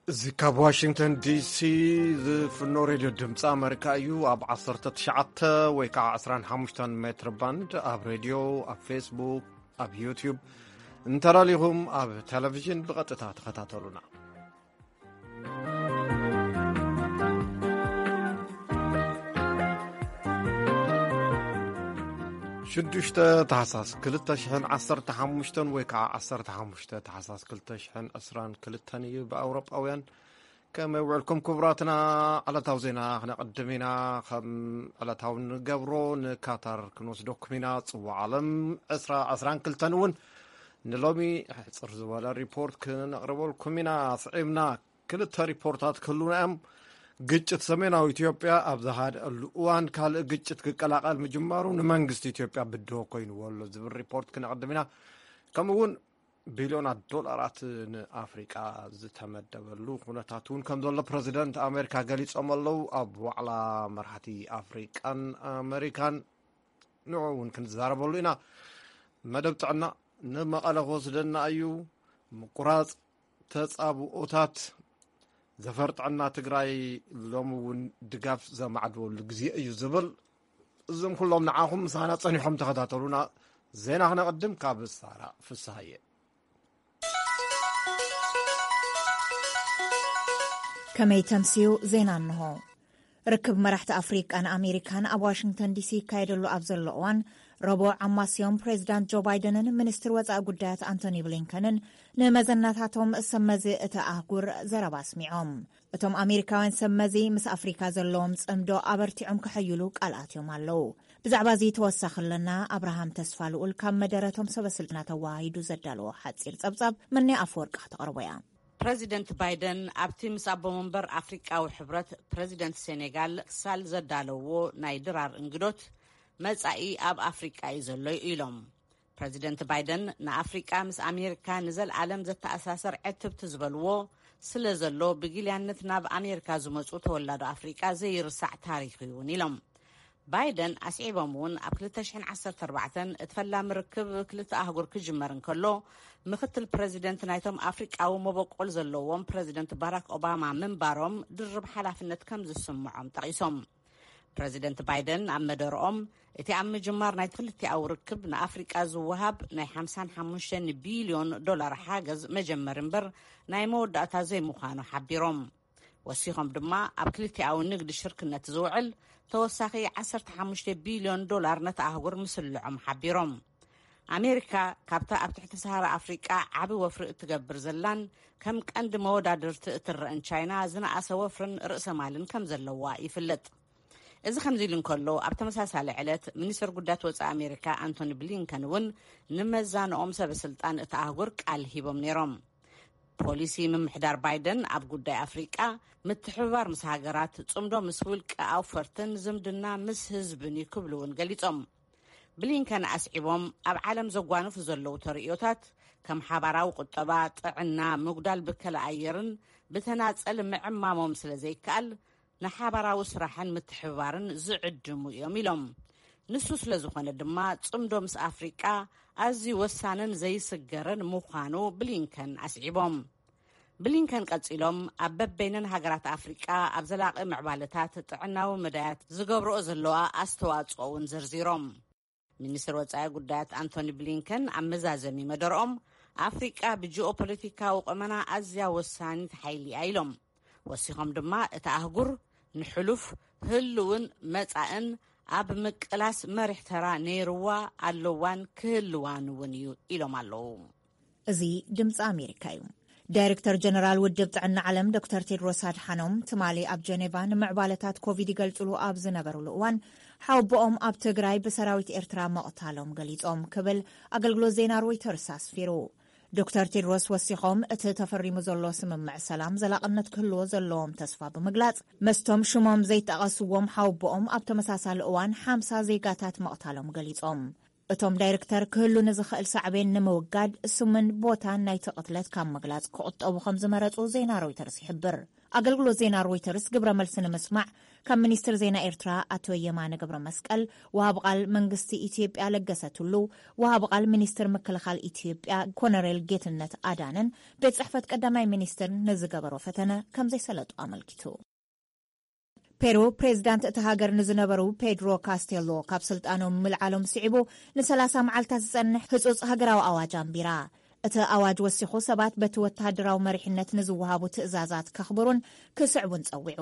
እዚ ካብ ዋሽንግተን ዲሲ ዝፍኖ ሬድዮ ድምፂ ኣመሪካ እዩ። ኣብ ዓሰርተ ትሽዓተ ወይ ከዓ ዕስራን ሓሙሽተን ሜትር ባንድ ኣብ ሬድዮ፣ ኣብ ፌስቡክ፣ ኣብ ዩቲዩብ፣ እንተላሊኹም ኣብ ቴሌቪዥን ብቐጥታ ተኸታተሉና። ሽዱሽተ ታሕሳስ ክልተ ሽሕን ዓሰርተ ሓሙሽተን ወይ ከዓ ዓሰርተ ሓሙሽተ ታሕሳስ ክልተ ሽሕን ዕስራን ክልተን እዩ ብኣውሮጳውያን። ከመይ ውዕልኩም ክቡራትና? ዕለታዊ ዜና ክነቕድም ኢና። ከም ዕለታዊ ንገብሮ ንካታር ክንወስደኩም ኢና። ጽዋዕ ዓለም ዕስራ ዕስራን ክልተን እውን ንሎሚ ሕጽር ዝበለ ሪፖርት ክነቕርበልኩም ኢና። ስዒብና ክልተ ሪፖርታት ክህሉና እዮም። ግጭት ሰሜናዊ ኢትዮጵያ ኣብ ዝሃደኣሉ እዋን ካልእ ግጭት ክቀላቐል ምጅማሩ ንመንግስቲ ኢትዮጵያ ብድሆ ኮይንዎ ኣሎ ዝብል ሪፖርት ክነቕድም ኢና። ከምኡ እውን ቢልዮናት ዶላራት ንኣፍሪቃ ዝተመደበሉ ኩነታት እውን ከም ዘሎ ፕረዚደንት ኣሜሪካ ገሊጾም ኣለዉ። ኣብ ዋዕላ መራሕቲ ኣፍሪቃን ኣሜሪካን ንዑ እውን ክንዛረበሉ ኢና። መደብ ጥዕና ንመቐለ ክወስደና እዩ። ምቁራጽ ተጻብኦታት ዘፈር ጥዕና ትግራይ ሎሚ እውን ድጋፍ ዘማዕድወሉ ግዜ እዩ ዝብል። እዞም ኩሎም ንዓኹም ምሳና ጸኒሖም ተኸታተሉና። ዜና ክነቕድም ካብ ሳራ ፍስሃየ። ከመይ ተምስዩ? ዜና እንሆ። ርክብ መራሕቲ ኣፍሪቃን ኣሜሪካን ኣብ ዋሽንግተን ዲሲ ይካየደሉ ኣብ ዘሎ እዋን፣ ረቡዕ ኣማስዮም ፕሬዚዳንት ጆ ባይደንን ሚኒስትር ወጻኢ ጉዳያት ኣንቶኒ ብሊንከንን ንመዘናታቶም ሰብ መዚ እቲ ኣህጉር ዘረባ ኣስሚዖም። እቶም ኣሜሪካውያን ሰብ መዚ ምስ ኣፍሪካ ዘለዎም ጽምዶ ኣበርቲዖም ከሐይሉ ቃል ኣትዮም ኣለዉ። ብዛዕባ እዚ ተወሳኺ ኣለና። ኣብርሃም ተስፋ ልኡል ካብ መደረቶም ሰበስልጣን ኣተዋሃሂዱ ዘዳለዎ ሓጺር ጸብጻብ መኒ ኣፈወርቂ ከተቕርቦ እያ። ፕረዚደንት ባይደን ኣብቲ ምስ ኣቦ መንበር ኣፍሪቃዊ ሕብረት ፕረዚደንት ሴኔጋል ክሳል ዘዳለውዎ ናይ ድራር እንግዶት፣ መጻኢ ኣብ ኣፍሪቃ እዩ ዘሎ ኢሎም። ፕረዚደንት ባይደን ንኣፍሪቃ ምስ ኣሜሪካ ንዘልኣለም ዘተኣሳሰር ዕትብቲ ዝበልዎ ስለ ዘሎ፣ ብጊልያነት ናብ ኣሜሪካ ዝመጹ ተወላዶ ኣፍሪቃ ዘይርሳዕ ታሪኽ እዩ እውን ኢሎም። ባይደን ኣስዒቦም እውን ኣብ ክልተ ሽሕን ዓሰርተ ኣርባዕተን እቲ ፈላሚ ርክብ ክልተ ኣህጉር ክጅመር እንከሎ፣ ምክትል ፕረዚደንት ናይቶም ኣፍሪቃዊ መበቆል ዘለዎም ፕረዚደንት ባራክ ኦባማ ምንባሮም ድርብ ሓላፍነት ከም ዝስምዖም ጠቒሶም። ፕረዚደንት ባይደን ኣብ መደርኦም፣ እቲ ኣብ ምጅማር ናይ ክልቲኣዊ ርክብ ንኣፍሪቃ ዝወሃብ ናይ ሓምሳን ሓሙሽተን ቢልዮን ዶላር ሓገዝ መጀመሪ እምበር ናይ መወዳእታ ዘይምዃኑ ሓቢሮም። ወሲኾም ድማ፣ ኣብ ክልቲኣዊ ንግዲ ሽርክነት ዝውዕል ተወሳኺ ዓሰርተ ሓሙሽተ ቢልዮን ዶላር ነቲ ኣህጉር ምስልዖም ሓቢሮም። ኣሜሪካ ካብታ ኣብ ትሕቲ ሰሃራ ኣፍሪቃ ዓቢ ወፍሪ እትገብር ዘላን ከም ቀንዲ መወዳድርቲ እትረእን ቻይና ዝነኣሰ ወፍርን ርእሰ ማልን ከም ዘለዋ ይፍለጥ። እዚ ከምዚ ኢሉ እንከሎ፣ ኣብ ተመሳሳሊ ዕለት ሚኒስትር ጉዳያት ወጻኢ ኣሜሪካ ኣንቶኒ ብሊንከን እውን ንመዛንኦም ሰበ ስልጣን እቲ ኣህጉር ቃል ሂቦም ነይሮም። ፖሊሲ ምምሕዳር ባይደን ኣብ ጉዳይ ኣፍሪቃ፣ ምትሕብባር ምስ ሃገራት፣ ጽምዶ ምስ ውልቀ ኣውፈርትን ዝምድና ምስ ህዝብን እዩ ክብሉ እውን ገሊጾም። ብሊንከን ኣስዒቦም፣ ኣብ ዓለም ዘጓንፉ ዘለዉ ተርእዮታት ከም ሓባራዊ ቁጠባ፣ ጥዕና፣ ምጉዳል ብከላ ኣየርን ብተናጸል ምዕማሞም ስለ ዘይከኣል፣ ንሓባራዊ ስራሕን ምትሕብባርን ዝዕድሙ እዮም ኢሎም። ንሱ ስለ ዝኾነ ድማ፣ ጽምዶ ምስ ኣፍሪቃ ኣዝዩ ወሳንን ዘይስገርን ምዃኑ ብሊንከን ኣስዒቦም። ብሊንከን ቀጺሎም፣ ኣብ በበይነን ሃገራት ኣፍሪቃ ኣብ ዘላቒ ምዕባለታት ጥዕናዊ መዳያት ዝገብርኦ ዘለዋ ኣስተዋጽኦ እውን ዘርዚሮም። ሚኒስትር ወጻኢ ጉዳያት ኣንቶኒ ብሊንከን ኣብ መዛዘሚ መደርኦም፣ ኣፍሪቃ ብጂኦፖለቲካዊ ቁመና ኣዝያ ወሳኒት ሓይሊ እያ ኢሎም። ወሲኾም ድማ፣ እቲ ኣህጉር ንሕሉፍ፣ ህልውን መጻእን ኣብ ምቅላስ መሪሕ ተራ ነይርዋ፣ ኣለዋን ክህልዋን እውን እዩ ኢሎም ኣለዉ። እዚ ድምፂ ኣሜሪካ እዩ። ዳይሬክተር ጀነራል ውድብ ጥዕና ዓለም ዶክተር ቴድሮስ ኣድሓኖም ትማሊ ኣብ ጀኔቫ ንምዕባለታት ኮቪድ ይገልፅሉ ኣብ ዝነበሩሉ እዋን፣ ሓወቦኦም ኣብ ትግራይ ብሰራዊት ኤርትራ ምቕታሎም ገሊፆም ክብል ኣገልግሎት ዜና ሮይተርስ ኣስፊሩ። ዶክተር ቴድሮስ ወሲኾም፣ እቲ ተፈሪሙ ዘሎ ስምምዕ ሰላም ዘላቕነት ክህልዎ ዘለዎም ተስፋ ብምግላፅ፣ መስቶም ሽሞም ዘይጠቐስዎም ሓወቦኦም ኣብ ተመሳሳሊ እዋን ሓምሳ ዜጋታት ምቕታሎም ገሊፆም። እቶም ዳይሬክተር ክህሉ ንዝኽእል ሳዕቤን ንምውጋድ ስምን ቦታን ናይቲ ቅትለት ካብ ምግላጽ ክቑጠቡ ከም ዝመረጹ ዜና ሮይተርስ ይሕብር። ኣገልግሎት ዜና ሮይተርስ ግብረ መልሲ ንምስማዕ ካብ ሚኒስትር ዜና ኤርትራ ኣቶ የማነ ገብረ መስቀል፣ ወሃቢ ቃል መንግስቲ ኢትዮጵያ ለገሰ ቱሉ፣ ወሃቢ ቃል ሚኒስትር ምክልኻል ኢትዮጵያ ኮነሬል ጌትነት ኣዳነን ቤት ጽሕፈት ቀዳማይ ሚኒስትርን ንዝገበሮ ፈተነ ከም ዘይሰለጡ ኣመልኪቱ። ፔሩ ፕሬዝዳንት እቲ ሃገር ንዝነበሩ ፔድሮ ካስቴሎ ካብ ስልጣኖም ምልዓሎም ስዒቡ ን30 መዓልታት ዝጸንሕ ህጹጽ ሃገራዊ ኣዋጅ ኣንቢራ። እቲ ኣዋጅ ወሲኹ ሰባት በቲ ወተሃደራዊ መሪሕነት ንዝወሃቡ ትእዛዛት ከኽብሩን ክስዕቡን ጸዊዑ።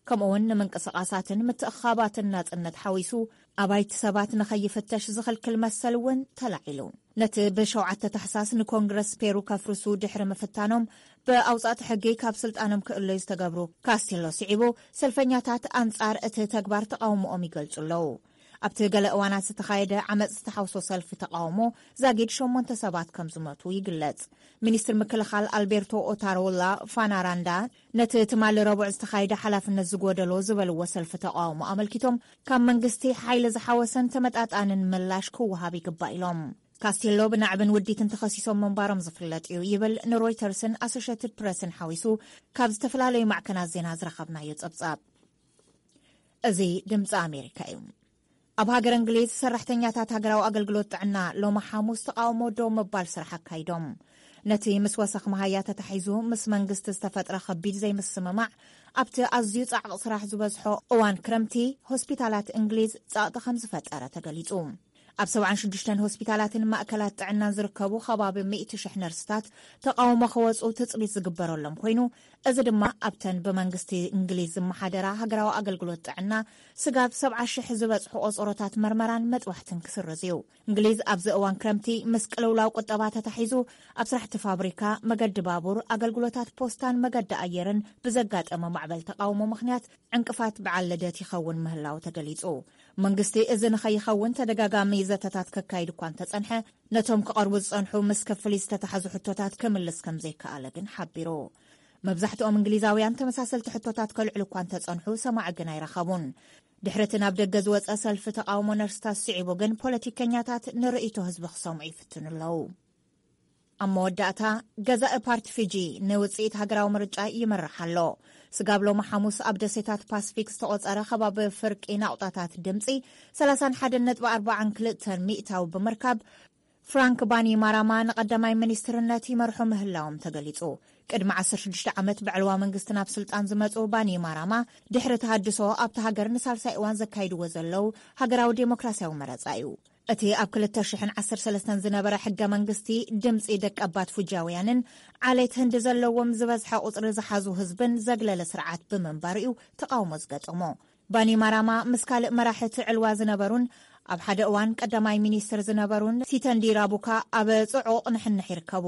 ከምኡውን ንምንቅስቓሳትን ምትእኻባትን ናጽነት ሓዊሱ ኣባይቲ ሰባት ንኸይፍተሽ ዝኽልክል መሰል እውን ተላዒሉ። ነቲ ብ7 ታሕሳስ ንኮንግረስ ፔሩ ከፍርሱ ድሕሪ ምፍታኖም ብኣውጻእቲ ሕጊ ካብ ስልጣኖም ክእለዩ ዝተገብሩ ካስቴሎ ስዒቡ፣ ሰልፈኛታት ኣንጻር እቲ ተግባር ተቓውሞኦም ይገልጹ ኣለዉ። ኣብቲ ገለ እዋናት ዝተኻየደ ዓመጽ ዝተሓውሶ ሰልፊ ተቓውሞ ዛጊድ ሸሞንተ ሰባት ከም ዝሞቱ ይግለጽ። ሚኒስትር ምክልኻል ኣልቤርቶ ኦታሮላ ፋናራንዳ ነቲ ትማሊ ረቡዕ ዝተኻየደ ሓላፍነት ዝጎደሎ ዝበልዎ ሰልፊ ተቓውሞ ኣመልኪቶም፣ ካብ መንግስቲ ሓይሊ ዝሓወሰን ተመጣጣንን ምላሽ ክወሃብ ይግባእ ኢሎም። ካስቴሎ ብናዕብን ውዲትን ተኸሲሶም ምንባሮም ዝፍለጥ እዩ ይብል ንሮይተርስን ኣሶሼትድ ፕረስን ሓዊሱ ካብ ዝተፈላለዩ ማዕከናት ዜና ዝረኸብናዮ ጸብጻብ። እዚ ድምፂ ኣሜሪካ እዩ። ኣብ ሃገር እንግሊዝ ሰራሕተኛታት ሃገራዊ ኣገልግሎት ጥዕና ሎማ ሓሙስ ተቃውሞ ደው ምባል ስራሕ ኣካይዶም። ነቲ ምስ ወሰኽ መሃያ ተታሒዙ ምስ መንግስቲ ዝተፈጥረ ከቢድ ዘይምስምማዕ ኣብቲ ኣዝዩ ጻዕቕ ስራሕ ዝበዝሖ እዋን ክረምቲ ሆስፒታላት እንግሊዝ ጸቕጢ ከም ዝፈጠረ ተገሊጹ። ኣብ 76 ሆስፒታላትን ማእከላት ጥዕናን ዝርከቡ ከባቢ 100,000 ነርስታት ተቃውሞ ክወጹ ትጽቢት ዝግበረሎም ኮይኑ፣ እዚ ድማ ኣብተን ብመንግስቲ እንግሊዝ ዝመሓደራ ሃገራዊ ኣገልግሎት ጥዕና ስጋብ 70,000 ዝበጽሑ ቆጸሮታት መርመራን መጥባሕትን ክስርዝ እዩ። እንግሊዝ ኣብዚ እዋን ክረምቲ ምስ ቅልውላው ቁጠባ ተታሒዙ ኣብ ስራሕቲ ፋብሪካ፣ መገዲ ባቡር፣ ኣገልግሎታት ፖስታን መገዲ ኣየርን ብዘጋጠመ ማዕበል ተቃውሞ ምኽንያት ዕንቅፋት በዓል ልደት ይኸውን ምህላው ተገሊጹ። መንግስቲ እዚ ንኸይኸውን ተደጋጋሚ ዘተታት ከካይድ እኳ እንተጸንሐ፣ ነቶም ክቐርቡ ዝጸንሑ ምስ ክፍሊት ዝተታሕዙ ሕቶታት ክምልስ ከም ዘይከኣለ ግን ሓቢሩ። መብዛሕትኦም እንግሊዛውያን ተመሳሰልቲ ሕቶታት ከልዕሉ እኳ እንተጸንሑ ሰማዒ ግን ኣይረኸቡን። ድሕሪ እቲ ናብ ደገ ዝወጸ ሰልፊ ተቃውሞ ነርስታት ስዒቡ ግን ፖለቲከኛታት ንርእይቶ ህዝቢ ክሰምዑ ይፍትኑ ኣለዉ። ኣብ መወዳእታ፣ ገዛኢ ፓርቲ ፊጂ ንውጽኢት ሃገራዊ ምርጫ ይመርሕ ኣሎ። ስጋብ ሎሚ ሓሙስ ኣብ ደሴታት ፓስፊክ ዝተቖጸረ ከባቢ ፍርቂ ናቑጣታት ድምጺ 31.42% ብምርካብ፣ ፍራንክ ባኒማራማ ንቐዳማይ ሚኒስትርነት ይመርሑ ምህላዎም ተገሊጹ። ቅድሚ 16 ዓመት ብዕልዋ መንግስቲ ናብ ስልጣን ዝመጹ ባኒማራማ፣ ድሕሪ ተሃድሶ ኣብቲ ሃገር ንሳልሳይ እዋን ዘካይድዎ ዘለዉ ሃገራዊ ዴሞክራሲያዊ መረጻ እዩ። እቲ ኣብ 2013 ዝነበረ ሕገ መንግስቲ ድምጺ ደቀባት ፉጃውያንን ዓሌት ህንዲ ዘለዎም ዝበዝሐ ቁጽሪ ዝሓዙ ህዝብን ዘግለለ ስርዓት ብምንባሩ እዩ ተቃውሞ ዝገጠሞ። ባኒማራማ ምስ ካልእ መራሒ እቲ ዕልዋ ዝነበሩን ኣብ ሓደ እዋን ቀዳማይ ሚኒስትር ዝነበሩን ሲተንዲ ራቡካ ኣብ ጽዑቕ ንሕንሕ ይርከቡ።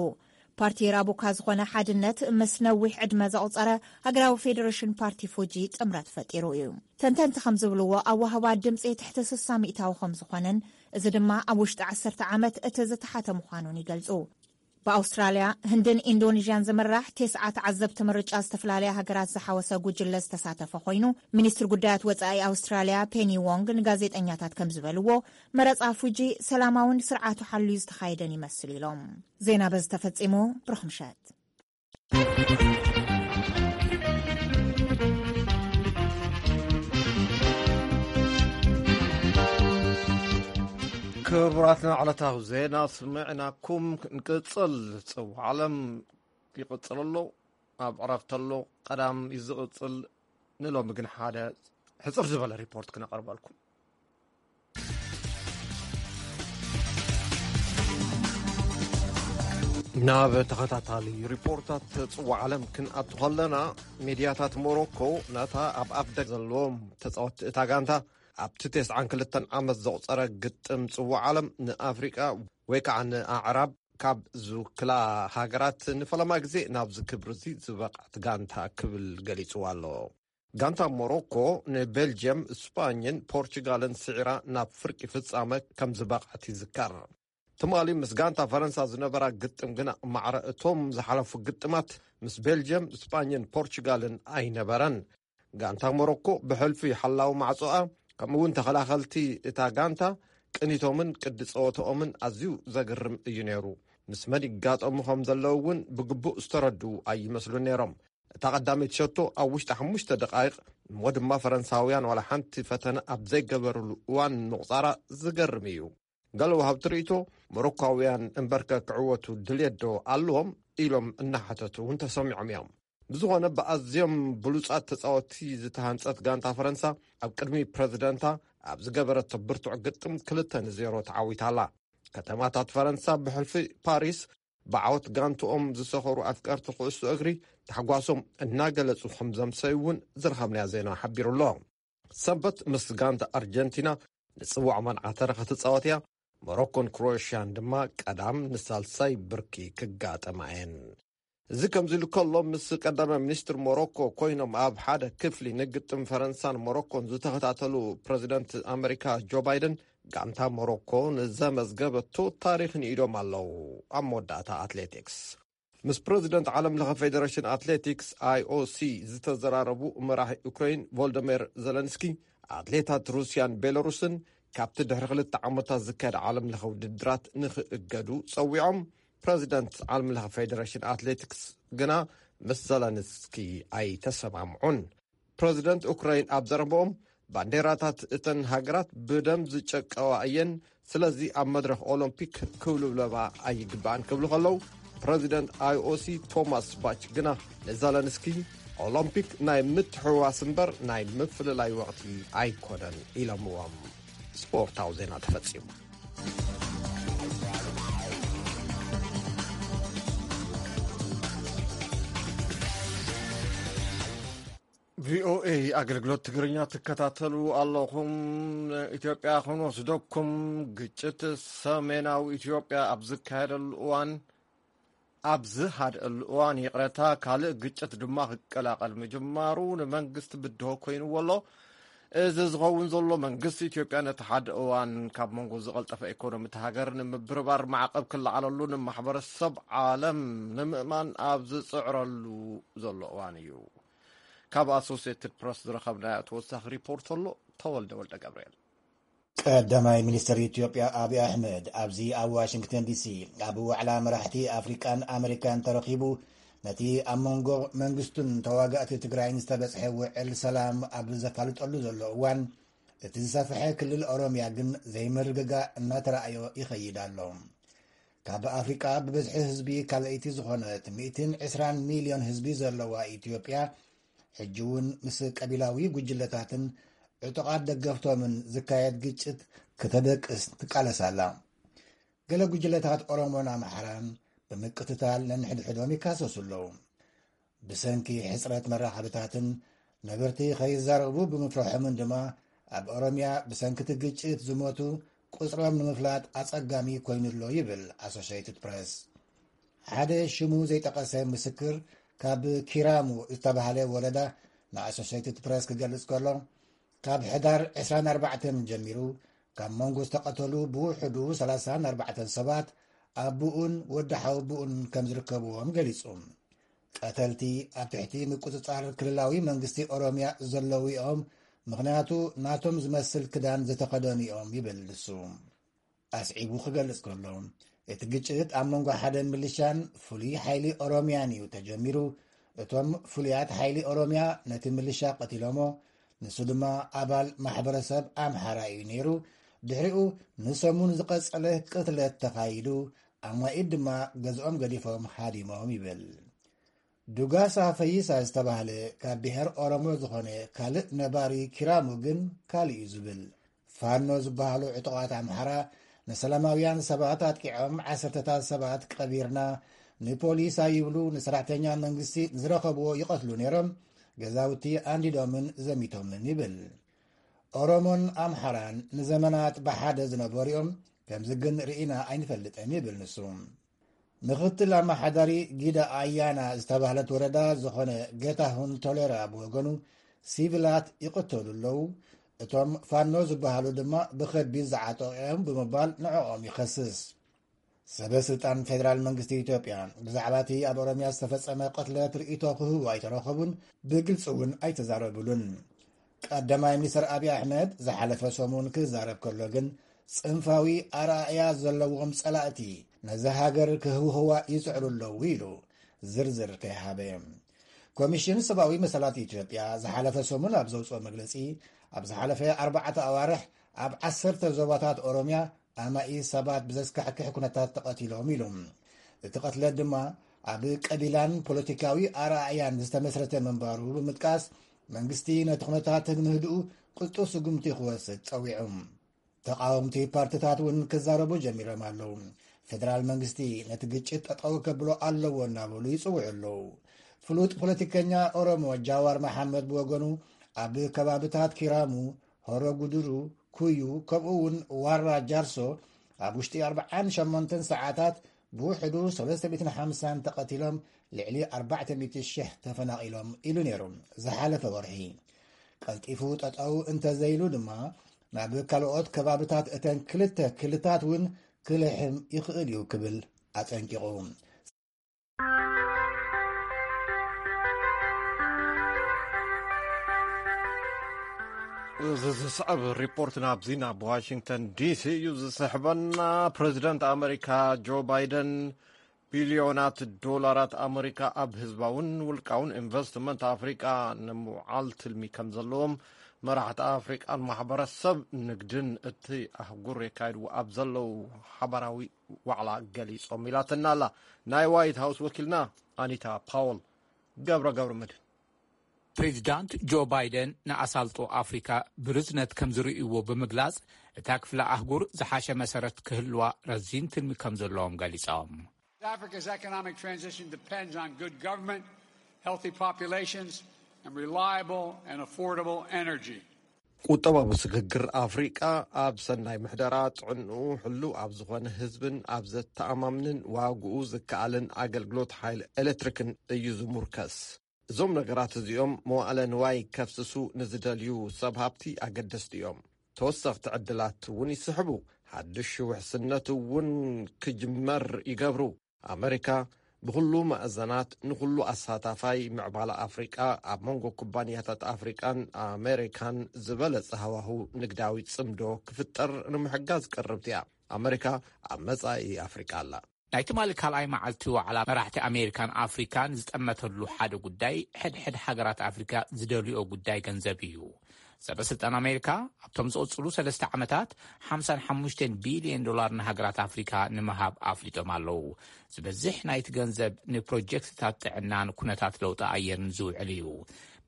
ፓርቲ ራቡካ ዝኾነ ሓድነት ምስ ነዊሕ ዕድመ ዘቑጸረ ሃገራዊ ፌዴሬሽን ፓርቲ ፉጂ ጥምረት ፈጢሩ እዩ። ተንተንቲ ከም ዝብልዎ፣ ኣዋህባ ድምጺ ትሕቲ 60% ከም ዝኾነን፣ እዚ ድማ ኣብ ውሽጢ 10 ዓመት እቲ ዝተሓተ ምዃኑን ይገልጹ። ብኣውስትራልያ፣ ህንድን ኢንዶኔዥያን ዝምራሕ ቴስዓ ተዓዘብቲ ምርጫ ዝተፈላለያ ሃገራት ዝሓወሰ ጉጅለ ዝተሳተፈ ኮይኑ፣ ሚኒስትር ጉዳያት ወጻኢ ኣውስትራልያ ፔኒ ዎንግ ንጋዜጠኛታት ከም ዝበልዎ፣ መረጻ ፉጂ ሰላማውን ስርዓቱ ሓልዩ ዝተኻየደን ይመስል ኢሎም። ዜና በዚ ተፈጺሙ። ብሩኽ ምሸት። ክቡራትና፣ ዕለታዊ ዜና ስምዕናኩም ንቅጽል። ጽውዓ ዓለም ይቕጽል ኣሎ። ኣብ ዕረፍቲ ኣሎ። ቀዳም እዩ ዝቕጽል። ንሎሚ ግን ሓደ ሕጽር ዝበለ ሪፖርት ክነቕርበልኩም። ናብ ተኸታታሊ ሪፖርታት ጽዋዕ ዓለም ክንኣቱ ከለና፣ ሚድያታት ሞሮኮ ነታ ኣብ ኣፍደገ ዘለዎም ተጻወትቲ እታ ጋንታ ኣብቲ 92 ዓመት ዘቑጸረ ግጥም ጽዋዕ ዓለም ንኣፍሪቃ ወይ ከዓ ንኣዕራብ ካብ ዝውክላ ሃገራት ንፈለማ ግዜ ናብዚ ክብሪ እዚ ዝበቕዐት ጋንታ ክብል ገሊጽዋ ኣሎ። ጋንታ ሞሮኮ ንቤልጅየም፣ ስጳኝን ፖርቹጋልን ስዒራ ናብ ፍርቂ ፍጻመ ከም ዝበቕዐት ይዝከር። ትማሊ ምስ ጋንታ ፈረንሳ ዝነበራ ግጥም ግና ማዕረ እቶም ዝሓለፉ ግጥማት ምስ ቤልጅየም፣ ስጳኝን ፖርቹጋልን ኣይነበረን። ጋንታ ሞሮኮ ብሕልፊ ሓላዊ ማዕጾኣ ከምኡውን ተኸላኸልቲ እታ ጋንታ ቅኒቶምን ቅዲ ጸወታኦምን ኣዝዩ ዘገርም እዩ ነይሩ። ምስ መን ይጋጠሙ ከም ዘለዉ እውን ብግቡእ ዝተረድኡ ኣይመስሉን ነይሮም። እታ ቀዳመይቲ ሸቶ ኣብ ውሽጢ ሓሙሽተ ደቓይቕ እሞ ድማ ፈረንሳውያን ዋላ ሓንቲ ፈተነ ኣብ ዘይገበርሉ እዋን ምቑጻራ ዝገርም እዩ። ገለ ወሃብቲ ርእይቶ፣ ሞሮኳውያን እምበርከ ክዕወቱ ድልየት ዶ ኣለዎም ኢሎም እናሓተቱ እውን ተሰሚዖም እዮም። ብዝኾነ ብኣዝዮም ብሉጻት ተጻወትቲ ዝተሃንጸት ጋንታ ፈረንሳ ኣብ ቅድሚ ፕረዚደንታ ኣብ ዝገበረቶ ብርቱዕ ግጥም ክልተ ንዜሮ ተዓዊታ ኣላ። ከተማታት ፈረንሳ ብሕልፊ ፓሪስ ብዓወት ጋንትኦም ዝሰኸሩ ኣፍቀርቲ ኩዕሶ እግሪ ታሕጓሶም እናገለጹ ከም ዘምሰዩ እውን ዝረኸብናዮ ዜና ሓቢሩ ኣሎ። ሰንበት ምስ ጋንታ ኣርጀንቲና ንጽዋዕ መርዓ ተረኸ ትጻወት እያ። ሞሮኮን ክሮኤሽያን ድማ ቀዳም ንሳልሳይ ብርኪ ክጋጠማ እየን። እዚ ከምዚ ኢሉ ከሎ፣ ምስ ቀዳማይ ሚኒስትር ሞሮኮ ኮይኖም ኣብ ሓደ ክፍሊ ንግጥም ፈረንሳን ሞሮኮን ዝተኸታተሉ ፕረዚደንት ኣመሪካ ጆ ባይደን፣ ጋንታ ሞሮኮ ንዘመዝገበቶ ታሪኽ ንኢዶም ኣለዉ። ኣብ መወዳእታ ኣትሌቲክስ፣ ምስ ፕረዚደንት ዓለም ለኸ ፌደሬሽን ኣትሌቲክስ ኣይ ኦ ሲ ዝተዘራረቡ መራሒ ዩክሬን ቮልደሜር ዘለንስኪ፣ ኣትሌታት ሩስያን ቤላሩስን ካብቲ ድሕሪ ክልተ ዓመታት ዝካየድ ዓለም ለኸ ውድድራት ንኽእገዱ ጸዊዖም። ፕረዚደንት ዓለም ለኸ ፌደሬሽን ኣትሌቲክስ ግና ምስ ዘለንስኪ ኣይተሰማምዑን። ፕረዚደንት ኡክራይን ኣብ ዘረባኦም፣ ባንዴራታት እተን ሃገራት ብደም ዝጨቀዋ እየን፣ ስለዚ ኣብ መድረኽ ኦሎምፒክ ክውልብለባ ኣይግባእን ክብሉ ከለዉ፣ ፕረዚደንት ኣይ ኦ ሲ ቶማስ ባች ግና ንዘለንስኪ፣ ኦሎምፒክ ናይ ምትሕውዋስ እምበር ናይ ምፍልላይ ወቕቲ ኣይኮነን ኢሎምዎም። ስፖርታዊ ዜና ተፈጺሙ። ቪ ኦ ኤ ኣገልግሎት ትግርኛ ትከታተሉ ኣለኹም። ኢትዮጵያ ክንወስደኩም፣ ግጭት ሰሜናዊ ኢትዮጵያ ኣብ ዝካየደሉ እዋን፣ ኣብ ዝሃድአሉ እዋን፣ ይቕረታ፣ ካልእ ግጭት ድማ ክቀላቐል ምጅማሩ ንመንግስቲ ብድሆ ኮይንዎ ኣሎ። እዚ ዝኸውን ዘሎ፣ መንግስቲ ኢትዮጵያ ነቲ ሓደ እዋን ካብ መንጎ ዝቐልጠፈ ኢኮኖሚ እታ ሃገር ንምብርባር ማዕቐብ ክለዓለሉ ንማሕበረሰብ ዓለም ንምእማን ኣብ ዝጽዕረሉ ዘሎ እዋን እዩ። ካብ ኣሶሲየትድ ፕረስ ዝረኸብናዮ ተወሳኺ ሪፖርት ኣሎ። ተወልደ ወልደ ገብርኤል። ቀዳማይ ሚኒስትር ኢትዮጵያ ኣብይ ኣሕመድ ኣብዚ ኣብ ዋሽንግተን ዲሲ ኣብ ዋዕላ መራሕቲ ኣፍሪቃን ኣመሪካን ተረኺቡ፣ ነቲ ኣብ መንጎ መንግስቱን ተዋጋእቲ ትግራይን ዝተበጽሐ ውዕል ሰላም ኣብ ዘፋልጠሉ ዘሎ እዋን፣ እቲ ዝሰፍሐ ክልል ኦሮምያ ግን ዘይምርግጋእ እናተራእዮ ይኸይድ ኣሎ። ካብ ኣፍሪቃ ብብዝሒ ህዝቢ ካልኣይቲ ዝኾነት ሚእትን ዕስራን ሚልዮን ህዝቢ ዘለዋ ኢትዮጵያ፣ ሕጂ እውን ምስ ቀቢላዊ ጉጅለታትን ዕጡቓት ደገፍቶምን ዝካየድ ግጭት ክተደቅስ ትቃለስ ኣላ። ገለ ጉጅለታት ኦሮሞን ኣምሓራን ብምቅትታል ነንሕድሕዶም ይካሰሱ ኣለዉ። ብሰንኪ ሕጽረት መራኸብታትን ነበርቲ ከይዛረቡ ብምፍርሖምን ድማ፣ ኣብ ኦሮምያ ብሰንኪ እቲ ግጭት ዝሞቱ ቁጽሮም ንምፍላጥ ኣጸጋሚ ኮይኑ ኣሎ ይብል ኣሶሽየትድ ፕረስ። ሓደ ሽሙ ዘይጠቐሰ ምስክር ካብ ኪራሙ ዝተባህለ ወረዳ ንኣሶሽየትድ ፕረስ ክገልጽ ከሎ፣ ካብ ሕዳር ዕስራን ኣርባዕተን ጀሚሩ፣ ካብ መንጎ ዝተቐተሉ ብውሕዱ ሰላሳን ኣርባዕተን ሰባት ኣቦኡን ወዲ ሓወቦኡን ከም ዝርከብዎም ገሊጹ። ቀተልቲ ኣብ ትሕቲ ምቁጽጻር ክልላዊ መንግስቲ ኦሮምያ ዘለዉ እዮም፣ ምኽንያቱ ናቶም ዝመስል ክዳን ዝተኸደኑ እዮም ይብል ንሱ። ኣስዒቡ ክገልጽ ከሎ፣ እቲ ግጭት ኣብ መንጎ ሓደ ሚሊሻን ፍሉይ ሓይሊ ኦሮምያን እዩ ተጀሚሩ። እቶም ፍሉያት ሓይሊ ኦሮምያ ነቲ ሚሊሻ ቀቲሎሞ፣ ንሱ ድማ ኣባል ማሕበረሰብ ኣምሓራ እዩ ነይሩ። ድሕሪኡ ንሰሙን ዝቐጸለ ቅትለት ተኻይዱ፣ ኣማኢት ድማ ገዝኦም ገዲፎም ሃዲሞም ይብል። ዱጋሳ ፈይሳ ዝተባህለ ካብ ብሔር ኦሮሞ ዝኾነ ካልእ ነባሪ ኪራሙ ግን ካልእ እዩ ዝብል። ፋኖ ዝበሃሉ ዕጡቓት ኣምሓራ ንሰላማውያን ሰባት ኣጥቂዖም ዓሰርተታት ሰባት ቀቢርና፣ ንፖሊስ ኣይብሉ፣ ንሰራሕተኛ መንግስቲ ንዝረኸብዎ ይቐትሉ ነይሮም፣ ገዛውቲ ኣንዲዶምን ዘሚቶምን ይብል። ኦሮሞን ኣምሓራን ንዘመናት ብሓደ ዝነበሩ እዮም፣ ከምዚ ግን ርኢና ኣይንፈልጥን ይብል ንሱ። ምኽትል ኣመሓዳሪ ጊዳ ኣያና ዝተባህለት ወረዳ ዝኾነ ጌታሁን ቶሌራ ብወገኑ፣ ሲቪላት ይቕተሉ ኣለዉ፣ እቶም ፋኖ ዝበሃሉ ድማ ብኸቢድ ዝዓጠቑ እዮም ብምባል ንዕኦም ይኸስስ። ሰበ ስልጣን ፌደራል መንግስቲ ኢትዮጵያ ብዛዕባ እቲ ኣብ ኦሮምያ ዝተፈጸመ ቅትለት ርእይቶ ክህቡ ኣይተረኸቡን፣ ብግልጺ እውን ኣይተዛረቡሉን። ቀዳማይ ሚኒስትር ኣብይ ኣሕመድ ዝሓለፈ ሰሙን ክዛረብ ከሎ ግን፣ ጽንፋዊ ኣረኣእያ ዘለዎም ጸላእቲ ነዛ ሃገር ክህውህዋ ይጽዕሩ ኣለዉ ኢሉ ዝርዝር ከይሃበ። ኮሚሽን ሰብኣዊ መሰላት ኢትዮጵያ ዝሓለፈ ሰሙን ኣብ ዘውፅኦ መግለፂ፣ ኣብ ዝሓለፈ ኣርባዕተ ኣዋርሕ ኣብ ዓሰርተ ዞባታት ኦሮምያ ኣማኢ ሰባት ብዘስካሕክሕ ኩነታት ተቐቲሎም ኢሉ። እቲ ቅትለት ድማ ኣብ ቀቢላን ፖለቲካዊ ኣረኣእያን ዝተመስረተ ምንባሩ ብምጥቃስ፣ መንግስቲ ነቲ ኩነታት ንምህድኡ ቅልጡፍ ስጉምቲ ክወስድ ጸዊዑ። ተቓወምቲ ፓርትታት እውን ክዛረቡ ጀሚሮም ኣለዉ። ፌደራል መንግስቲ ነቲ ግጭት ጠጠው ከብሎ ኣለዎ እናበሉ ይጽውዑ ኣለዉ። ፍሉጥ ፖለቲከኛ ኦሮሞ ጃዋር መሓመድ ብወገኑ፣ ኣብ ከባብታት ኪራሙ፣ ሆሮ ጉድሩ፣ ኩዩ፣ ከምኡ እውን ዋራ ጃርሶ ኣብ ውሽጢ ኣርብዓን ሸሞንተን ሰዓታት ብውሕዱ ሰለስተ ሚእትን ሓምሳን ተቐቲሎም፣ ልዕሊ ኣርባዕተ ሚእቲ ሽሕ ተፈናቒሎም ኢሉ ነይሩ ዝሓለፈ ወርሒ። ቀልጢፉ ጠጠው እንተዘይሉ ድማ፣ ናብ ካልኦት ከባብታት እተን ክልተ ክልታት እውን ክልሕም ይኽእል እዩ ክብል ኣጠንቂቑ። እዚ ዝስዕብ ሪፖርት ናብዚ ናብ ዋሽንግተን ዲሲ እዩ ዝስሕበና። ፕሬዚደንት ኣመሪካ ጆ ባይደን ቢልዮናት ዶላራት ኣመሪካ ኣብ ህዝባውን ውልቃውን ኢንቨስትመንት ኣፍሪቃ ንምውዓል ትልሚ ከም ዘለዎም መራሕቲ ኣፍሪቃን ማሕበረሰብ ንግድን እቲ ኣህጉር የካይድዎ ኣብ ዘለዉ ሓባራዊ ዋዕላ ገሊጾም ኢላትና ኣላ ናይ ዋይት ሃውስ ወኪልና ኣኒታ ፓውል። ገብረ ገብረ መድህን። ፕሬዚዳንት ጆ ባይደን ንኣሳልጦ ኣፍሪካ ብርዝነት ከም ዝርእይዎ ብምግላጽ፣ እታ ክፍለ ኣህጉር ዝሓሸ መሰረት ክህልዋ ረዚን ትልሚ ከም ዘለዎም ገሊጾም። Africa's economic transition depends on good government, healthy populations, and reliable and affordable energy. ቁጠባዊ ስግግር ኣፍሪቃ ኣብ ሰናይ ምሕደራ፣ ጥዕንኡ ሕሉው ኣብ ዝኾነ ህዝብን ኣብ ዘተኣማምንን ዋግኡ ዝከኣልን ኣገልግሎት ሓይሊ ኤሌክትሪክን እዩ ዝሙርከስ። እዞም ነገራት እዚኦም መዋእለ ንዋይ ከፍስሱ ንዝደልዩ ሰብ ሃብቲ ኣገደስቲ እዮም። ተወሰኽቲ ዕድላት እውን ይስሕቡ። ሓድሽ ውሕስነት እውን ክጅመር ይገብሩ። ኣመሪካ ብኹሉ መኣዘናት ንኹሉ ኣሳታፋይ ምዕባለ ኣፍሪቃ፣ ኣብ መንጎ ኩባንያታት ኣፍሪቃን ኣመሪካን ዝበለጸ ሃዋሁ ንግዳዊ ጽምዶ ክፍጠር ንምሕጋዝ ቅርብቲ እያ። ኣመሪካ ኣብ መጻኢ ኣፍሪቃ ኣላ። ናይ ትማሊ ካልኣይ መዓልቲ ዋዕላ መራሕቲ ኣሜሪካን ኣፍሪካን ዝጠመተሉ ሓደ ጉዳይ፣ ሕድሕድ ሃገራት ኣፍሪካ ዝደልዮ ጉዳይ ገንዘብ እዩ። ሰበ ስልጣን ኣሜሪካ ኣብቶም ዝቕጽሉ ሰለስተ ዓመታት ሓምሳን ሓሙሽተን ቢልዮን ዶላር ንሃገራት ኣፍሪካ ንምሃብ ኣፍሊጦም ኣለዉ። ዝበዝሕ ናይቲ ገንዘብ ንፕሮጀክትታት ጥዕናን ኩነታት ለውጢ ኣየርን ዝውዕል እዩ።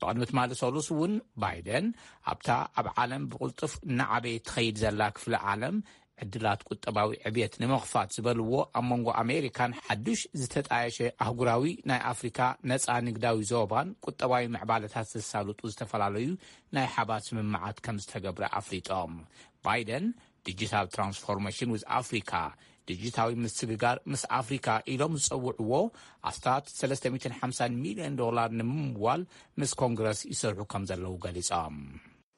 ብቕድሚ ትማሊ ሰሉስ እውን ባይደን ኣብታ ኣብ ዓለም ብቕልጡፍ እናዓበየት ትኸይድ ዘላ ክፍለ ዓለም ዕድላት ቁጠባዊ ዕብየት ንምኽፋት ዝበልዎ፣ ኣብ መንጎ ኣሜሪካን ሓዱሽ ዝተጣየሸ ኣህጉራዊ ናይ ኣፍሪካ ነፃ ንግዳዊ ዞባን ቁጠባዊ ምዕባለታት ዘሳልጡ ዝተፈላለዩ ናይ ሓባር ስምምዓት ከም ዝተገብረ ኣፍሊጦም። ባይደን ዲጂታል ትራንስፎርሜሽን ዊዝ ኣፍሪካ፣ ዲጂታዊ ምስግጋር ምስ ኣፍሪካ ኢሎም ዝጸውዕዎ ኣስታት ሰለስተ ሚእትን ሓምሳን ሚልዮን ዶላር ንምምዋል ምስ ኮንግረስ ይሰርሑ ከም ዘለዉ ገሊጾም።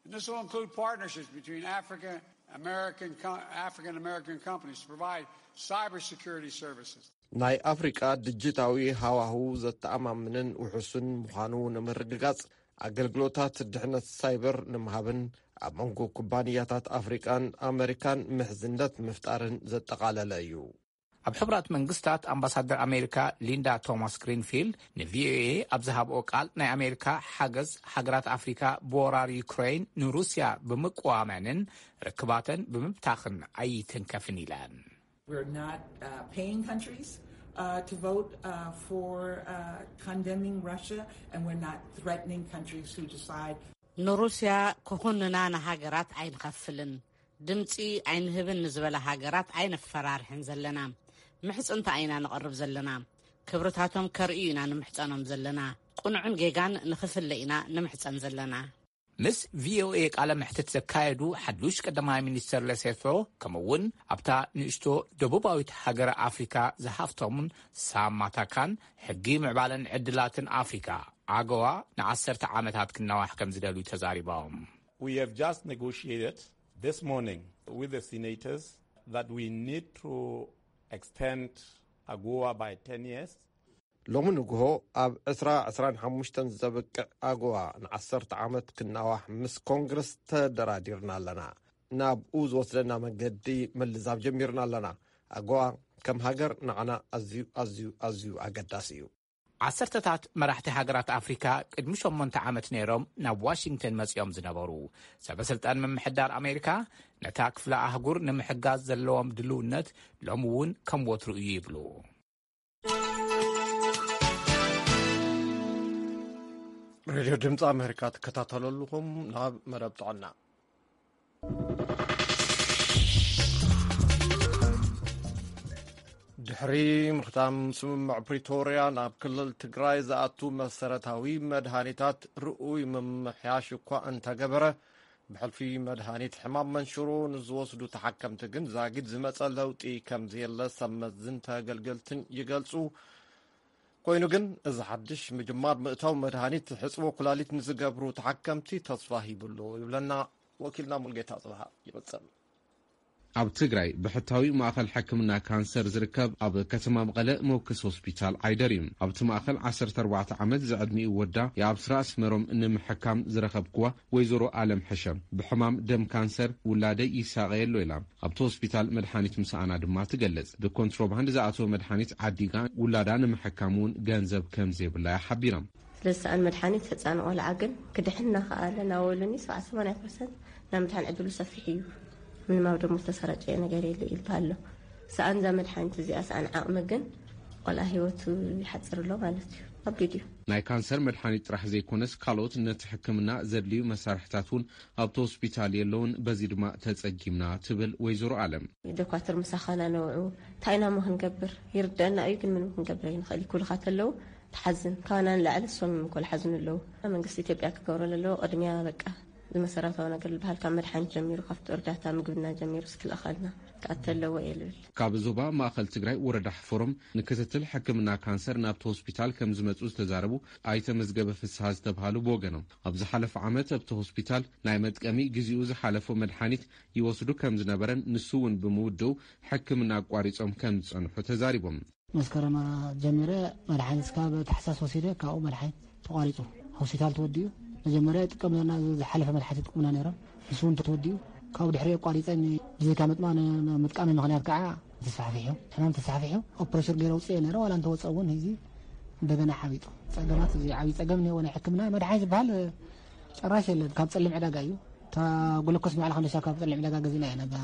And this will include partnerships between Africa American, co- African American companies to provide cybersecurity services. ናይ ኣፍሪቃ ዲጂታዊ ሃዋሁ ዘተኣማምንን ውሑስን ምዃኑ ንምርግጋጽ፣ ኣገልግሎታት ድሕነት ሳይበር ንምሃብን ኣብ መንጎ ኩባንያታት ኣፍሪቃን ኣመሪካን ምሕዝነት ምፍጣርን ዘጠቓለለ እዩ። ኣብ ሕቡራት መንግስታት ኣምባሳደር ኣሜሪካ ሊንዳ ቶማስ ግሪንፊልድ ንቪኦኤ ኣብ ዝሃብኦ ቃል፣ ናይ ኣሜሪካ ሓገዝ ሃገራት ኣፍሪካ ብወራር ዩክሬን ንሩስያ ብምቅዋመንን ርክባተን ብምብታኽን ኣይትንከፍን ኢለን። We're not uh, paying countries uh, to vote uh, for uh, condemning Russia, and we're not threatening countries who decide ንሩስያ ክኹንና ንሃገራት ኣይንኸፍልን፣ ድምፂ ኣይንህብን ንዝበላ ሃገራት ኣይነፈራርሕን ዘለና። ምሕፅንታ ኢና ንቐርብ ዘለና። ክብርታቶም ከርእዩ ኢና ንምሕፀኖም ዘለና። ቁኑዕን ጌጋን ንኽፍለ ኢና ንምሕፀን ዘለና። ምስ ቪኦኤ ቃለ መሕትት ዘካየዱ ሓዱሽ ቀዳማይ ሚኒስትር ለሴቶ፣ ከምኡ እውን ኣብታ ንእሽቶ ደቡባዊት ሃገር ኣፍሪካ ዝሃፍተሙን ሳማታካን ሕጊ ምዕባለን ዕድላትን ኣፍሪካ፣ ኣገዋ፣ ንዓሰርተ ዓመታት ክናዋሕ ከም ዝደልዩ ተዛሪቦም። We have just negotiated this morning with the senators that we need to extend AGOA by ten years. ሎሚ ንግሆ ኣብ ዕስራ ዕስራን ሓሙሽተን ዘብቅዕ ኣጎዋ ንዓሰርተ ዓመት ክናዋሕ ምስ ኮንግረስ ተደራዲርና ኣለና። ናብኡ ዝወስደና መገዲ ምልዛብ ጀሚርና ኣለና። ኣጎዋ ከም ሃገር ንዓና ኣዝዩ፣ ኣዝዩ፣ ኣዝዩ ኣገዳሲ እዩ። ዓሰርተታት መራሕቲ ሃገራት ኣፍሪካ ቅድሚ ሸሞንተ ዓመት ነይሮም ናብ ዋሽንግተን መጺኦም ዝነበሩ። ሰበ ስልጣን ምምሕዳር ኣሜሪካ ነታ ክፍለ ኣህጉር ንምሕጋዝ ዘለዎም ድልውነት ሎሚ እውን ከም ወትሩ እዩ ይብሉ። ሬድዮ ድምፂ ኣሜሪካ ትከታተሉ ኣለኹም። ናብ መደብ ጥዕና። ድሕሪ ምኽታም ስምምዕ ፕሪቶርያ፣ ናብ ክልል ትግራይ ዝኣቱ መሰረታዊ መድሃኒታት ርኡይ ምምሕያሽ እኳ እንተገበረ፣ ብሕልፊ መድሃኒት ሕማም መንሽሮ ንዝወስዱ ተሓከምቲ ግን ዛጊድ ዝመጸ ለውጢ ከም ዘየለ ሰብ መዝን ተገልገልትን ይገልጹ። ኮይኑ ግን፣ እዚ ሓድሽ ምጅማር ምእታው መድሃኒት ሕጽቦ ኩላሊት ንዝገብሩ ተሓከምቲ ተስፋ ሂብሉ ይብለና ወኪልና ሙልጌታ ጽብሃ ይቕጽል። ኣብ ትግራይ ብሕታዊ ማእኸል ሕክምና ካንሰር ዝርከብ ኣብ ከተማ መቐለ መወከሲ ሆስፒታል ዓይደር እዩ። ኣብቲ ማእኸል ዓሰርተ ኣርባዕተ ዓመት ዝዕድሚኡ ወዳ የኣብስራ ኣስመሮም ንምሕካም ዝረኸብክዋ ወይዘሮ ኣለም ሕሸም፣ ብሕማም ደም ካንሰር ውላደይ ይሳቐየሎ ኢላ ኣብቲ ሆስፒታል መድሓኒት ምስኣና ድማ ትገልጽ። ብኮንትሮባንድ ዝኣተወ መድሓኒት ዓዲጋ ውላዳ ንምሕካም እውን ገንዘብ ከም ዘይብላ እያ ሓቢራ። ስለዚ ሰኣን መድሓኒት ህፃን ቆልዓ ግን ክድሕን እናኸኣለ እናበሉኒ ሰብዓ ሰማንያ ፐርሰንት ናይ ምድሓን ዕድሉ ሰፊሕ እዩ። ምንም ኣብ ደሞ ዝተሰራጨየ ነገር የለ ይልባ ኣሎ። ሰኣን እዛ መድሓኒት እዚኣ ሰኣን ዓቕሚ ግን ቆልዓ ህይወቱ ይሓፅር ኣሎ ማለት እዩ። ከቢድ እዩ። ናይ ካንሰር መድሓኒት ጥራሕ ዘይኮነስ ካልኦት ነቲ ሕክምና ዘድልዩ መሳርሕታት እውን ኣብቲ ሆስፒታል የለውን፣ በዚ ድማ ተፀጊምና ትብል ወይዘሮ ኣለም። ዶኳትር ምሳኻና ነውዑ እንታይ ኢና ሞ ክንገብር ይርደአና እዩ፣ ግን ምንም ክንገብር ኣይንኽእል። ኩልኻ ተለዉ ትሓዝን፣ ካባና ንላዕሊ እሶም እዮም እኮ ዝሓዝኑ ኣለዉ። መንግስቲ ኢትዮጵያ ክገብሮ ዘለዎ ቅድሚያ በቃ ዝመሰረታዊ ነገር ዝበሃል ካብ መድሓኒት ጀሚሩ ካብቲ እርዳታ ምግብና ጀሚሩ ስክልእኸልና ክኣተ ኣለዎ እየ ልብል። ካብ ዞባ ማእኸል ትግራይ ወረዳ ሕፈሮም ንክትትል ሕክምና ካንሰር ናብቲ ሆስፒታል ከም ዝመፁ ዝተዛረቡ ኣይተ መዝገበ ፍስሃ ዝተብሃሉ ብወገኖም ኣብ ዝሓለፈ ዓመት ኣብቲ ሆስፒታል ናይ መጥቀሚ ግዜኡ ዝሓለፎ መድሓኒት ይወስዱ ከም ዝነበረን ንሱ እውን ብምውድኡ ሕክምና ኣቋሪፆም ከም ዝፀንሑ ተዛሪቦም። መስከረም ጀሚረ መድሓኒት እስካብ ታሕሳስ ወሲደ ካብኡ መድሓኒት ተቋሪፁ። ሆስፒታል ተወዲኡ መጀመርያ ይጥቀም ነበርና፣ እዚ ዝሓለፈ መድሓኒት ይጥቀሙና ነይሮም። ንሱ እውን ተወዲኡ ካብኡ ድሕሪ ኣቋሪፀ ን-፣ ብዘይካ ምጥማ-፣ ን-፣ ምጥቃመይ ምኽንያት ከዓ ተስፋሕፊሑ፣ ሕማም ተስፋሕፊሑ ኦፕሬሽን ገይረ ውፅኤ ነይረ። ዋላ እንተወፀ እውን እዚ እንደገና ሓቢጡ። ፀገማት፣ እዚ ዓብዪ ፀገም እኒሄዎ ናይ ሕክምና መድሓኒት ዝበሃል ጨራሽ የለን። ካብ ፀሊም ዕዳጋ እዩ። እታ ግሉኮስ ባዕላ ክንደሻ ካብ ፀሊም ዕዳጋ ገዚእና ኢና። እዛ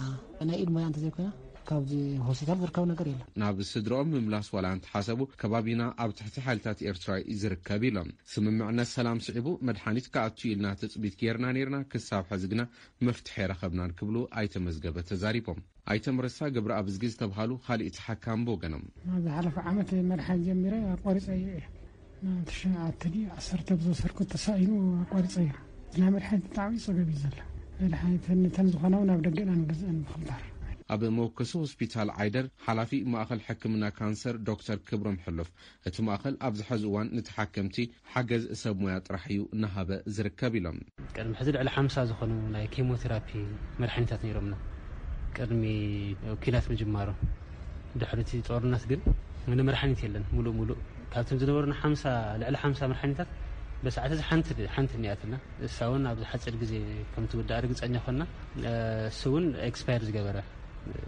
ናይ ኢድ ሞያ እንተዘይኮይና ካብዚ ሆስፒታል ዝርከብ ነገር የለን። ናብ ስድራኦም ምምላስ ዋላ እንተሓሰቡ ከባቢና ኣብ ትሕቲ ሓይልታት ኤርትራ እዩ ዝርከብ ኢሎም። ስምምዕነት ሰላም ስዒቡ መድሓኒት ክኣቱ ኢልና ትፅቢት ጌርና ኔርና፣ ክሳብ ሕዚ ግና መፍትሒ ኣይረኸብናን ክብሉ ኣይተ መዝገበ ተዛሪቦም። ኣይተ ምረሳ ገብረኣብዝጊ ዝተብሃሉ ካሊእ ተሓካሚ ብወገኖም። ኣብ ዝሓለፈ ዓመት መድሓኒት ጀሚረ ኣቋሪፀ እየ። ናብ ትሽዓተ ድዩ ዓሰርተ ብዝወሰድኩ ተሳኢኑ ኣቋሪፀዮ። ናይ መድሓኒት ብጣዕሚ ፀገም እዩ ዘሎ። መድሓኒት ነተን ዝኾና እውን ኣብ ደገ ኢና ንገዝአን ብኽልታር። ኣብ መወከሲ ሆስፒታል ዓይደር ሓላፊ ማእኸል ሕክምና ካንሰር ዶክተር ክብሮም ሕሉፍ፣ እቲ ማእኸል ኣብዚ ሕዚ እዋን ንተሓከምቲ ሓገዝ ሰብ ሞያ ጥራሕ እዩ እናሃበ ዝርከብ ኢሎም። ቅድሚ ሕዚ ልዕሊ ሓምሳ ዝኾኑ ናይ ኬሞቴራፒ መድሓኒታት ነይሮምና ቅድሚ ኲናት ምጅማሩ። ድሕሪ እቲ ጦርነት ግን ምንም መድሓኒት የለን። ሙሉእ ሙሉእ ካብቶም ዝነበሩና ሓምሳ፣ ልዕሊ ሓምሳ መድሓኒታት በሰዓት እዚ ሓንቲ፣ ሓንቲ እኒኣትና። እሳ እውን ኣብዚ ሓፂር ግዜ ከም ትውዳእ ርግፀኛ ኮና። እሱ እውን ኤክስፓየር ዝገበረ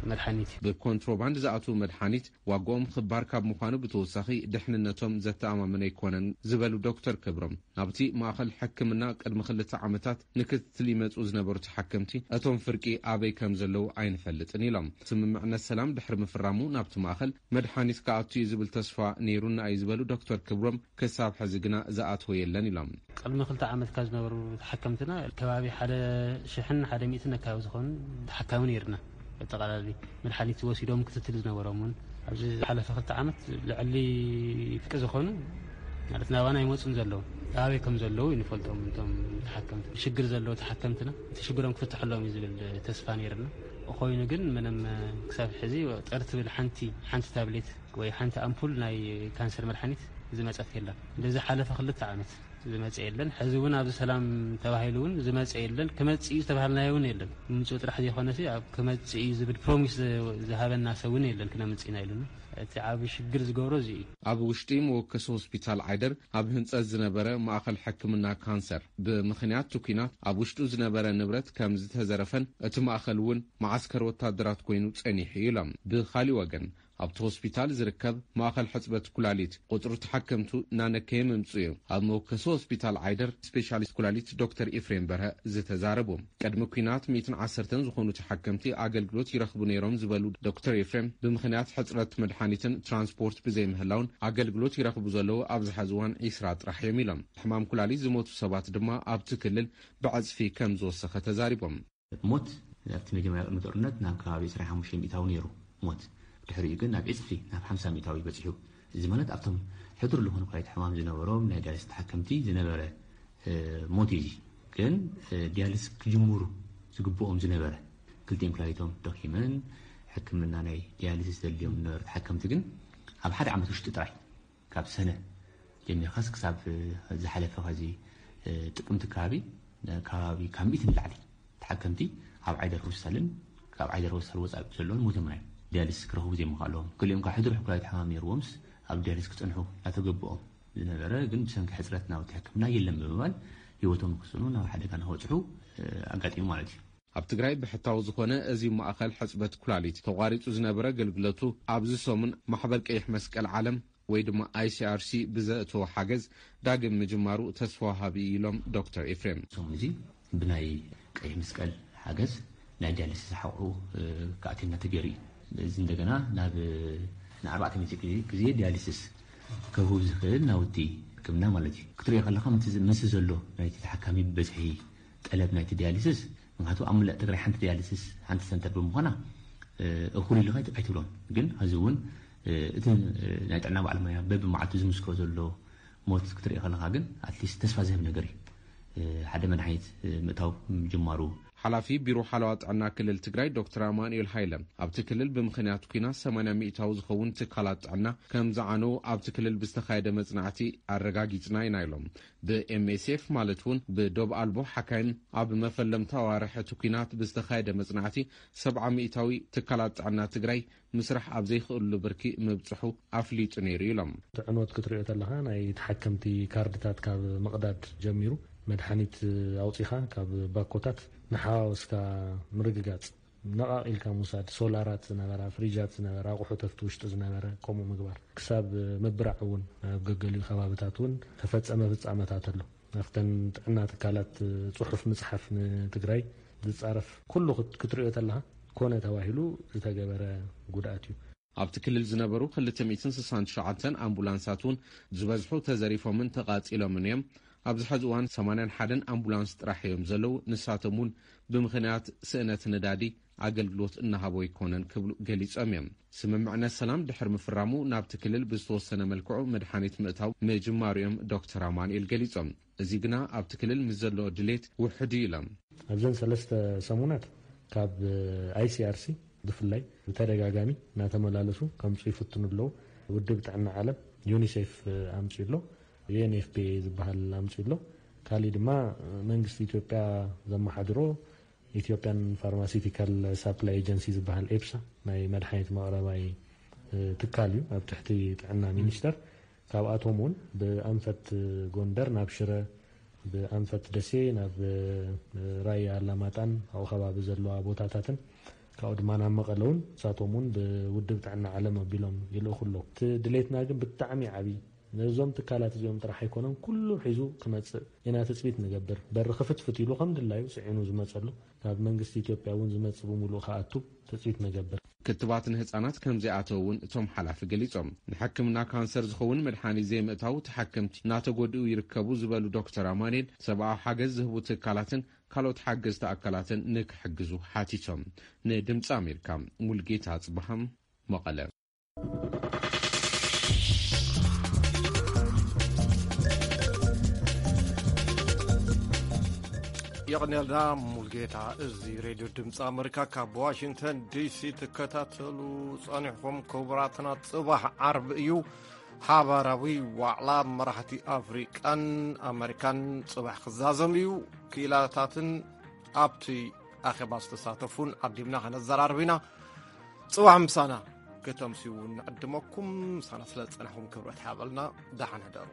መድሓኒት እዩ። ብኮንትሮባንድ ዝኣትዉ መድሓኒት ዋጋኦም ክባር ካብ ምዃኑ ብተወሳኺ ድሕንነቶም ዘተኣማምን ኣይኮነን ዝበሉ ዶክተር ክብሮም፣ ናብቲ ማእኸል ሕክምና ቅድሚ ክልተ ዓመታት ንክትትል ይመፁ ዝነበሩ ተሓከምቲ እቶም ፍርቂ ኣበይ ከም ዘለዉ ኣይንፈልጥን ኢሎም። ስምምዕነት ሰላም ድሕሪ ምፍራሙ ናብቲ ማእኸል መድሓኒት ክኣቱ እዩ ዝብል ተስፋ ነይሩና እዩ ዝበሉ ዶክተር ክብሮም፣ ክሳብ ሕዚ ግና ዝኣተወ የለን ኢሎም። ቅድሚ ክልተ ዓመት ካብ ዝነበሩ ተሓከምትና ከባቢ ሓደ ሽሕን ሓደ ሚእትን ኣካባቢ ዝኾኑ ተሓካሚ ነይርና። ኣጠቓላሊ መድሓኒት ወሲዶም ክትትል ዝነበሮም እውን ኣብዚ ዝሓለፈ ክልተ ዓመት ልዕሊ ፍርቂ ዝኾኑ ማለት ናባና ኣይመፁን ዘለዉ። ኣበይ ከም ዘለዉ ይንፈልጦም እቶም ተሓከምቲ። ሽግር ዘለዉ ተሓከምትና እቲ ሽግሮም ክፍትሐሎም እዩ ዝብል ተስፋ ነይርና። ኮይኑ ግን ምንም ክሳብ ሕዚ ጥር ትብል ሓንቲ፣ ሓንቲ ታብሌት ወይ ሓንቲ ኣምፑል ናይ ካንሰር መድሓኒት ዝመፀት የላን። በዚ ሓለፈ ክልተ ዓመት ዝመፀ የለን። ሕዚ እውን ኣብዚ ሰላም ተባሂሉ እውን ዝመፀ የለን። ክመፅእ እዩ ዝተባሃልናዮ እውን የለን። ምምፅኡ ጥራሕ ዘይኮነሲ ኣብ ክመፅእ እዩ ዝብል ፕሮሚስ ዝ-፣ ዝሃበና ሰብ እውን የለን። ክነምፅእ ኢና ኢሉና። እቲ ዓቢ ሽግር ዝገብሮ እዚ እዩ። ኣብ ውሽጢ መወከሲ ሆስፒታል ዓይደር ኣብ ህንጸት ዝነበረ ማእኸል ሕክምና ካንሰር፣ ብምኽንያት እቲ ኲናት ኣብ ውሽጡ ዝነበረ ንብረት ከም ዝተዘረፈን እቲ ማእኸል እውን መዓስከር ወታደራት ኮይኑ ጸኒሑ እዩ ኢሎም። ብኻሊእ ወገን፣ ኣብቲ ሆስፒታል ዝርከብ ማእኸል ሕጽበት ኩላሊት ቁጽሪ ተሓከምቱ እናነከየ ምምጽኡ እዩ ኣብ መወከሲ ሆስፒታል ዓይደር ስፔሻሊስት ኩላሊት ዶክተር ኤፍሬም በርሀ ዝተዛረቡ። ቅድሚ ኲናት ሚእትን ዓሰርተን ዝኾኑ ተሓከምቲ ኣገልግሎት ይረኽቡ ነይሮም ዝበሉ ዶክተር ኤፍሬም፣ ብምኽንያት ሕጽረት መድሓኒትን ትራንስፖርት ብዘይምህላውን ኣገልግሎት ይረኽቡ ዘለዉ ኣብዚ ሐዚ እዋን ዒስራ ጥራሕ እዮም ኢሎም። ሕማም ኩላሊት ዝሞቱ ሰባት ድማ ኣብቲ ክልል ብዕጽፊ ከም ዝወሰኸ ተዛሪቦም። ሞት ኣብቲ መጀመርያ ቅድሚ ጦርነት ናብ ከባቢ ዕስራን ሓሙሽተን ሚእታዊ ነይሩ ሞት። ድሕሪኡ ግን ናብ ዕጽፊ ናብ ሓምሳ ሚእታዊ በጺሑ። እዚ ማለት ኣብቶም ሕዱር ዝኾነ ኩላሊት ሕማም ዝነበሮም ናይ ዲያሊስ ተሓከምቲ ዝነበረ እ፣ ሞት እዩ። እዚ ግን እ፣ ዲያሊስ ክጅምሩ ዝግብኦም ዝነበረ ክልቲኦም ኩላሊቶም ደኺመን ሕክምና ናይ ዲያሊሲስ ዘድልዮም ዝነበሩ ተሓከምቲ ግን ኣብ ሓደ ዓመት ውሽጢ ጥራይ ካብ ሰነ ጀሚርካስ ክሳብ ዝሓለፈ ኸዚ ጥቅምቲ ከባቢ ከባቢ ካብ ሚእቲ ንላዕሊ ተሓከምቲ ኣብ ዓይደር ሆስፒታልን ካብ ዓይደር ሆስፒታል ወፃኢ ዘለውን ሞቶም ናይ ዲያሊስ ክረኽቡ ዘይምኽኣሎም፣ ገሊኦም ካብ ሕዱር ሕኩላይት ሕማም ነይርዎምስ ኣብ ዲያሊስ ክፀንሑ እናተገብኦም ዝነበረ ግን ብሰንኪ ሕፅረት ናውቲ ሕክምና የለን ብምባል ህይወቶም ክስኑ ናብ ሓደጋ ንኸብፅሑ ኣጋጢሙ ማለት እዩ። ኣብ ትግራይ ብሕታዊ ዝኾነ እዚ ማእኸል ሕፅበት ኩላሊት ተቋሪፁ ዝነበረ ኣገልግሎቱ ኣብዚ ሰሙን ማሕበር ቀይሕ መስቀል ዓለም ወይ ድማ ኣይሲኣርሲ ብዘእተዎ ሓገዝ ዳግም ምጅማሩ ተስፋ ወሃቢ እዩ ኢሎም ዶክተር ኤፍሬም። ሰሙን እዚ ብናይ ቀይሕ መስቀል ሓገዝ ናይ ዲያሊሲስ ሓቑሑ ክኣትየና ተገይሩ እዩ። እዚ እንደገና ናብ ንኣርባዕተ ሚእቲ ግዜ ዲያሊሲስ ከህቡ ዝኽእል ናውቲ ሕክምና ማለት እዩ። ክትሪኦ ከለኻ ምስ ዘሎ ናይቲ ተሓካሚ ብበዝሒ ጠለብ ናይቲ ዲያሊሲስ ምክንያቱ ኣብ ሙላእ ትግራይ ሓንቲ ዲያሊሲስ ሓንቲ ሰንተር ብምዃና እኹል ኢሉ ኣይትብሎን። ግን ሕዚ እውን እቲ ናይ ጥዕና በዓል ሞያ በብመዓልቱ ዝምስክሮ ዘሎ ሞት ክትርኢ ከለኻ ግን ኣትሊስት ተስፋ ዝህብ ነገር እዩ። ሓደ መድሓኒት ምእታው ምጅማሩ። ሓላፊ ቢሮ ሓለዋ ጥዕና ክልል ትግራይ ዶክተር ኣማኑኤል ሃይለ ኣብቲ ክልል ብምኽንያት ኲናት ሰማንያ ሚእታዊ ዝኸውን ትካላት ጥዕና ከም ዝዓነው ኣብቲ ክልል ብዝተኻየደ መጽናዕቲ ኣረጋጊጽና ኢና ኢሎም። ብኤምኤስኤፍ ማለት እውን ብዶብ ኣልቦ ሓካይም ኣብ መፈለምታ ኣዋርሕ እቲ ኲናት ብዝተኻየደ መጽናዕቲ ሰብዓ ሚእታዊ ትካላት ጥዕና ትግራይ ምስራሕ ኣብ ዘይኽእልሉ ብርኪ ምብፅሑ ኣፍሊጡ ነይሩ ኢሎም። እቲ ዕንወት ክትሪኦ ተለኻ ናይ ተሓከምቲ ካርድታት ካብ ምቕዳድ ጀሚሩ መድሓኒት ኣውፂኻ ካብ ባኮታት ንሓዋወስካ ምርግጋፅ ነቓቒልካ ምውሳድ ሶላራት ዝነበራ ፍሪጃት ዝነበራ ኣቑሑት ኣብቲ ውሽጢ ዝነበረ ከምኡ ምግባር ክሳብ ምብራዕ እውን ኣብ ገገሊኡ ከባብታት እውን ተፈፀመ ፍፃመታት ኣሎ። ኣብተን ጥዕና ትካላት ፅሑፍ ምፅሓፍ ንትግራይ ዝፃረፍ ኩሉ ክትሪኦ ተለካ ኮነ ተባሂሉ ዝተገበረ ጉድኣት እዩ። ኣብቲ ክልል ዝነበሩ ክልተ ሚእትን ስሳን ትሽዓተን ኣምቡላንሳት እውን ዝበዝሑ ተዘሪፎምን ተቓፂሎምን እዮም። ኣብዚ ሐዚ እዋን ሰማንያን ሓደን ኣምቡላንስ ጥራሕ እዮም ዘለዉ። ንሳቶም እውን ብምኽንያት ስእነት ነዳዲ ኣገልግሎት እናሃቡ ኣይኮነን ክብሉ ገሊፆም እዮም። ስምምዕነት ሰላም ድሕሪ ምፍራሙ ናብቲ ክልል ብዝተወሰነ መልክዑ መድሓኒት ምእታው ምጅማሩ እዮም ዶክተር ኣማኑኤል ገሊፆም። እዚ ግና ኣብቲ ክልል ምስ ዘሎ ድሌት ውሑድ እዩ ኢሎም። ኣብዘን ሰለስተ ሰሙናት ካብ ኣይሲኣርሲ ብፍላይ ብተደጋጋሚ እናተመላለሱ ከምፁ ይፍትኑ ኣለዉ። ውድብ ጥዕና ዓለም ዩኒሴፍ ኣምፅኡ ኣሎ፣ ዩኤንኤፍፒኤ ዝበሃል ኣምፅኡ ኣሎ። ካሊእ ድማ መንግስቲ ኢትዮጵያ ዘመሓድሮ ኢትዮጵያን ፋርማሲቲካል ሳፕላይ ኤጀንሲ ዝበሃል ኤፕሳ ናይ መድሓኒት መቕረባይ ትካል እዩ ኣብ ትሕቲ ጥዕና ሚኒስተር። ካብኣቶም እውን ብኣንፈት ጎንደር ናብ ሽረ፣ ብኣንፈት ደሴ ናብ ራያ ኣላማጣን ኣብኡ ከባቢ ዘለዋ ቦታታትን ካብኡ ድማ ናብ መቐለ እውን ንሳቶም እውን ብውድብ ጥዕና ዓለም ኣቢሎም ይልእኹ ኣለዉ። እቲ ድሌትና ግን ብጣዕሚ ዓብዪ ነዞም ትካላት እዚኦም ጥራሕ ኣይኮነን ኩሉ ሒዙ ክመፅእ ኢና ትፅቢት ንገብር። በሪ ክፍትፍት ኢሉ ከም ድላዩ ፅዒኑ ዝመፀሉ ካብ መንግስቲ ኢትዮጵያ እውን ዝመፅእ ብምሉእ ክኣቱ ትፅቢት ንገብር። ክትባት ንህፃናት ከም ዘይኣተው እውን እቶም ሓላፊ ገሊፆም። ንሕክምና ካንሰር ዝኸውን መድሓኒት ዘይምእታው ተሓከምቲ እናተጎድኡ ይርከቡ ዝበሉ ዶክተር ኣማኑኤል ሰብኣዊ ሓገዝ ዝህቡ ትካላትን ካልኦት ሓገዝቲ ኣካላትን ንክሕግዙ ሓቲቶም። ንድምፂ ኣሜሪካ ሙልጌታ ኣፅበሃም መቐለ። የቐንየልና ሙልጌታ። እዚ ሬድዮ ድምፂ ኣመሪካ ካብ ዋሽንግተን ዲሲ ትከታተሉ ጸኒሕኩም። ክቡራትና፣ ጽባሕ ዓርቢ እዩ። ሓባራዊ ዋዕላ መራሕቲ ኣፍሪቃን ኣመሪካን ጽባሕ ክዛዘም እዩ። ክኢላታትን ኣብቲ ኣኼባ ዝተሳተፉን ዓዲምና ከነዘራርብ ኢና። ጽባሕ ምሳና። ከተምስዩ እውን ንዕድመኩም። ምሳና ስለ ዝጸናሕኩም ክብረት ሓበልና። ደሓን ሕደሩ።